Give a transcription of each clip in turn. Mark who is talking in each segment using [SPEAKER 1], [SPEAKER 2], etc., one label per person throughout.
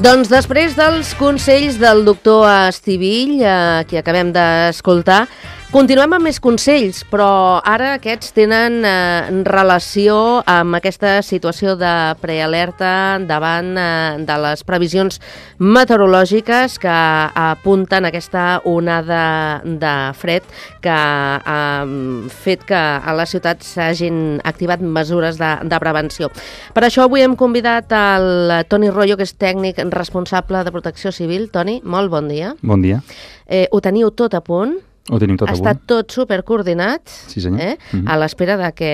[SPEAKER 1] Doncs després dels consells del doctor Estivill, que acabem d'escoltar, continuem amb més consells, però ara aquests tenen relació amb aquesta situació de prealerta davant de les previsions meteorològiques que apunten aquesta onada de fred que ha fet que a la ciutat s'hagin activat mesures de prevenció. Per això avui hem convidat el Toni Royo, que és tècnic responsable de Protecció Civil. Toni, molt bon dia.
[SPEAKER 2] Bon dia.
[SPEAKER 1] Ho teniu tot a punt?
[SPEAKER 2] Ho tenim tot a punt.
[SPEAKER 1] Està tot supercoordinat,
[SPEAKER 2] sí, senyor.
[SPEAKER 1] A l'espera de que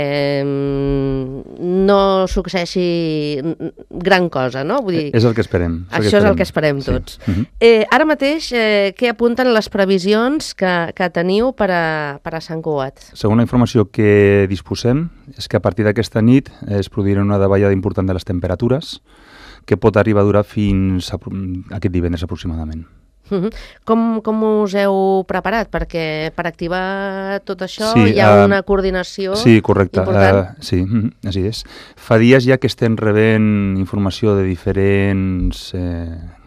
[SPEAKER 1] no succeeixi gran cosa, no? Vull dir,
[SPEAKER 2] és el que esperem.
[SPEAKER 1] Això és el que esperem tots. Ara mateix, què apunten les previsions que teniu per a Sant Cugat?
[SPEAKER 2] Segons la informació que disposem, és que a partir d'aquesta nit es produirà una davallada important de les temperatures que pot arribar a durar fins a aquest divendres aproximadament.
[SPEAKER 1] Com us heu preparat? Perquè per activar tot això hi ha una coordinació important.
[SPEAKER 2] Sí, correcte. Sí, així és. Fa dies ja que estem rebent informació de diferents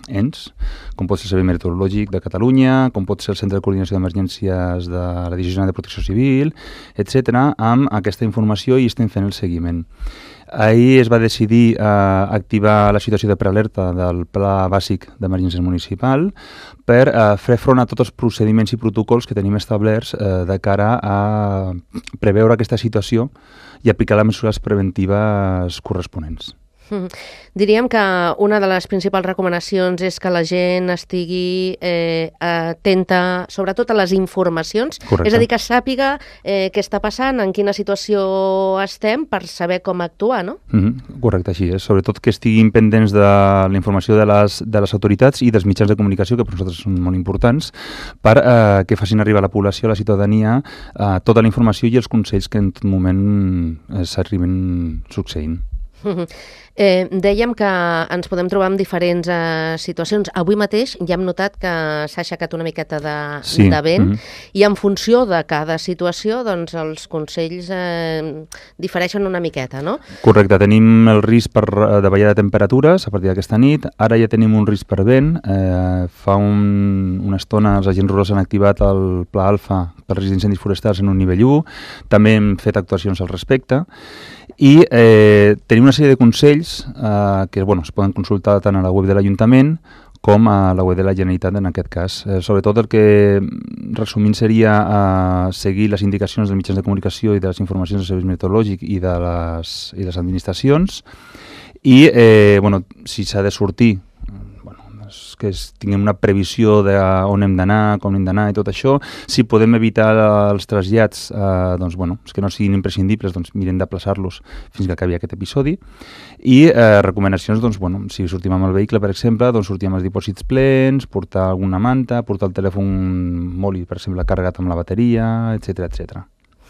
[SPEAKER 2] ens, com pot ser el Servei Meteorològic de Catalunya, com pot ser el Centre de Coordinació d'Emergències de la Divisió General de Protecció Civil, etc., amb aquesta informació i estem fent el seguiment. Ahir es va decidir activar la situació de prealerta del Pla Bàsic d'Emergències Municipal per fer front a tots els procediments i protocols que tenim establerts de cara a preveure aquesta situació i aplicar les mesures preventives corresponents.
[SPEAKER 1] Diríem que una de les principals recomanacions és que la gent estigui atenta sobretot a les informacions.
[SPEAKER 2] Correcte.
[SPEAKER 1] És a dir, que sàpiga què està passant, en quina situació estem, per saber com actuar, no?
[SPEAKER 2] Correcte, així és. Sobretot que estiguin pendents de la informació de les autoritats i dels mitjans de comunicació, que per nosaltres són molt importants, per que facin arribar a la població, a la ciutadania, tota la informació i els consells que en tot moment s'arriben succeint.
[SPEAKER 1] Dèiem que ens podem trobar en diferents situacions. Avui mateix ja hem notat que s'ha aixecat una miqueta de vent i en funció de cada situació doncs els consells difereixen una miqueta, no?
[SPEAKER 2] Correcte, tenim el risc de davallada de temperatures a partir d'aquesta nit. Ara ja tenim un risc per vent. Fa una estona els agents rurals han activat el Pla Alfa per risc d'incendis forestals en un nivell 1. També hem fet actuacions al respecte. I tenim una sèrie de consells que es poden consultar tant a la web de l'Ajuntament com a la web de la Generalitat en aquest cas. Sobretot el que resumint seria seguir les indicacions dels mitjans de comunicació i de les informacions del Servei Meteorològic i de les administracions i si s'ha de sortir que tinguem una previsió d'on hem d'anar, com hem d'anar i tot això. Si podem evitar els trasllats, que no siguin imprescindibles, mirem d'aplaçar-los fins que acabi aquest episodi. I recomanacions, si sortim amb el vehicle, per exemple, sortir amb els dipòsits plens, portar alguna manta, portar el telèfon mòbil, per exemple, carregat amb la bateria, etc.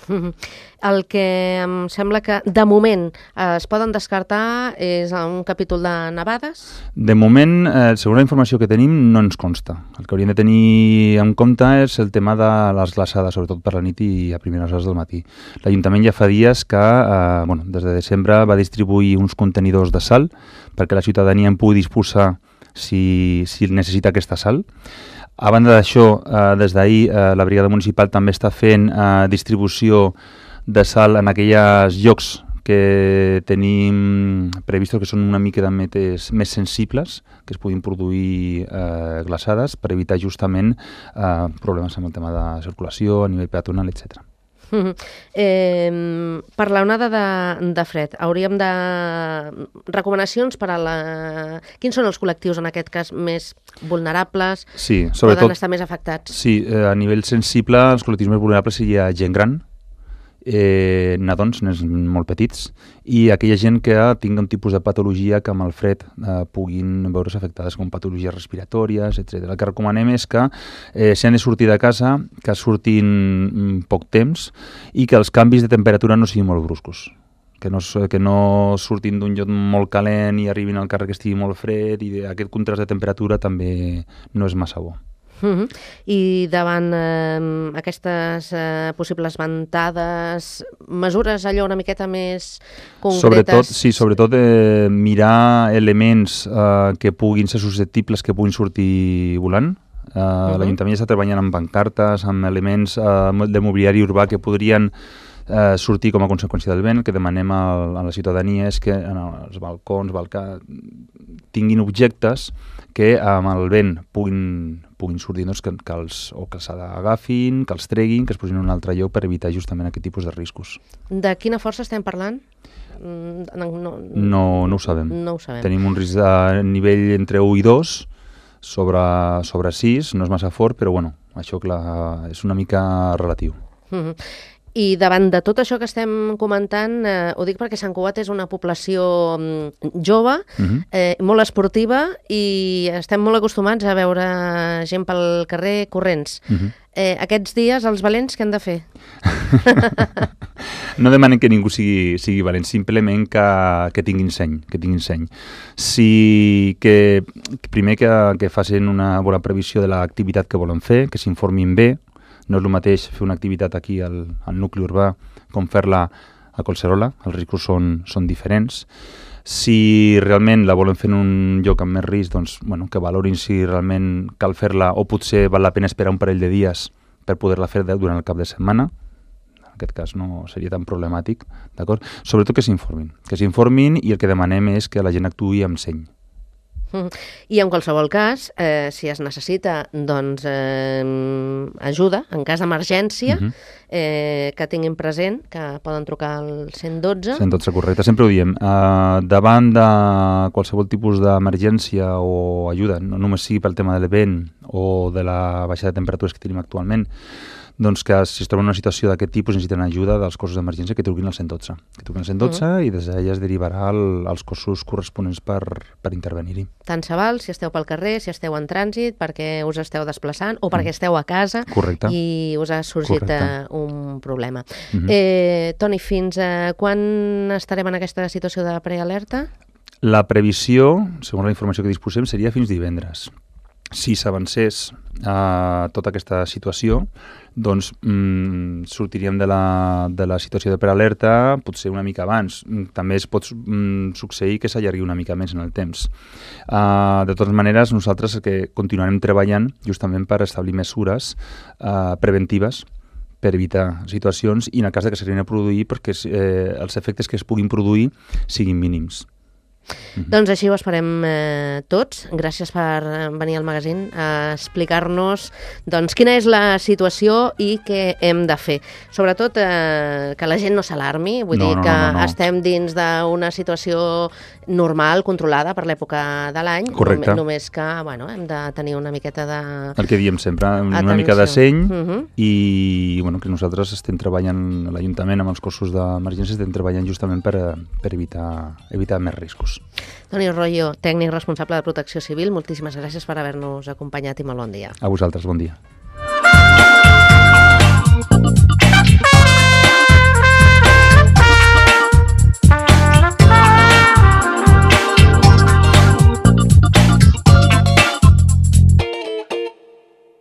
[SPEAKER 1] El que em sembla que de moment es poden descartar és un capítol de nevades?
[SPEAKER 2] De moment, segons la informació que tenim, no ens consta. El que hauríem de tenir en compte és el tema de les glaçades, sobretot per la nit i a primeres hores del matí. L'Ajuntament ja fa dies que, des de desembre, va distribuir uns contenidors de sal perquè la ciutadania en pugui disposar si necessita aquesta sal. A banda d'això, des d'ahir la brigada municipal també està fent distribució de sal en aquells llocs que tenim previstos que són una mica més sensibles, que es puguin produir glaçades per evitar justament problemes amb el tema de circulació a nivell peatonal, etc.
[SPEAKER 1] Per l'onada de fred, hauríem de... recomanacions per a la... Quins són els col·lectius, en aquest cas, més vulnerables?
[SPEAKER 2] Sí, sobretot...
[SPEAKER 1] Poden estar més afectats?
[SPEAKER 2] Sí, a nivell sensible, els col·lectius més vulnerables seria gent gran, nadons, nens molt petits, i aquella gent que tingui un tipus de patologia que amb el fred puguin veure's afectades, com patologies respiratòries, etc. El que recomanem és que si han de sortir de casa, que surtin poc temps i que els canvis de temperatura no siguin molt bruscos. Que no surtin d'un lloc molt calent i arribin al carrer que estigui molt fred, i aquest contrast de temperatura també no és massa bo.
[SPEAKER 1] I davant aquestes possibles ventades, mesures allò una miqueta més concretes?
[SPEAKER 2] Sobretot mirar elements que puguin ser susceptibles, que puguin sortir volant. L'Ajuntament està treballant amb pancartes, amb elements de mobiliari urbà que podrien sortir com a conseqüència del vent. El que demanem a la ciutadania és que en els balcons, tinguin objectes que amb el vent puguin sortir, doncs, que els agafin, que els treguin, que es posin en un altre lloc per evitar justament aquest tipus de riscos.
[SPEAKER 1] De quina força estem parlant?
[SPEAKER 2] No ho sabem.
[SPEAKER 1] No ho sabem.
[SPEAKER 2] Tenim un risc de nivell entre 1 i 2 sobre 6, no és massa fort, però bueno, això clar, és una mica relatiu.
[SPEAKER 1] I davant de tot això que estem comentant, ho dic perquè Sant Cugat és una població jove, molt esportiva, i estem molt acostumats a veure gent pel carrer corrents. Aquests dies, els valents, què han de fer?
[SPEAKER 2] No demanen que ningú sigui valent, simplement que tinguin seny. Primer que facin una bona previsió de l'activitat que volen fer, que s'informin bé. No és el mateix fer una activitat aquí al nucli urbà com fer-la a Collserola, els riscos són diferents. Si realment la volen fer en un lloc amb més risc, doncs, que valorin si realment cal fer-la o potser val la pena esperar un parell de dies per poder-la fer durant el cap de setmana. En aquest cas no seria tan problemàtic, d'acord? Sobretot que s'informin i el que demanem és que la gent actuï amb seny.
[SPEAKER 1] I en qualsevol cas, si es necessita ajuda, en cas d'emergència, que tinguin present que poden trucar al 112.
[SPEAKER 2] 112, correcte, sempre ho diem. Davant de qualsevol tipus d'emergència o ajuda, no només sigui pel tema del vent o de la baixada de temperatures que tenim actualment, doncs que si es troben en una situació d'aquest tipus necessiten ajuda dels cossos d'emergència, que truquin al 112. I des d'allà es derivarà als cossos corresponents per intervenir-hi.
[SPEAKER 1] Tant se val si esteu pel carrer, si esteu en trànsit, perquè us esteu desplaçant o perquè esteu a casa.
[SPEAKER 2] Correcte.
[SPEAKER 1] I us ha sorgit un problema. Toni, fins quan estarem en aquesta situació de prealerta?
[SPEAKER 2] La previsió, segons la informació que disposem, seria fins divendres. Si s'avancés tota aquesta situació, doncs sortiríem de la situació de prealerta potser una mica abans. També es pot succeir que s'allargui una mica més en el temps. De totes maneres, nosaltres que continuarem treballant justament per establir mesures preventives per evitar situacions i en el cas que s'arribin a produir perquè els efectes que es puguin produir siguin mínims.
[SPEAKER 1] Doncs així ho esperem tots. Gràcies per venir al magazín a explicar-nos quina és la situació i què hem de fer. Sobretot que la gent no s'alarmi, vull dir que estem dins d'una situació normal, controlada per l'època de l'any.
[SPEAKER 2] Correcte.
[SPEAKER 1] Només que hem de tenir una miqueta de...
[SPEAKER 2] El que diem sempre, una mica de seny i que nosaltres estem treballant a l'Ajuntament amb els cossos d'emergència, estem treballant justament per evitar més riscos.
[SPEAKER 1] Toni Royo, tècnic responsable de Protecció Civil, moltíssimes gràcies per haver-nos acompanyat i molt bon dia.
[SPEAKER 2] A vosaltres, bon dia.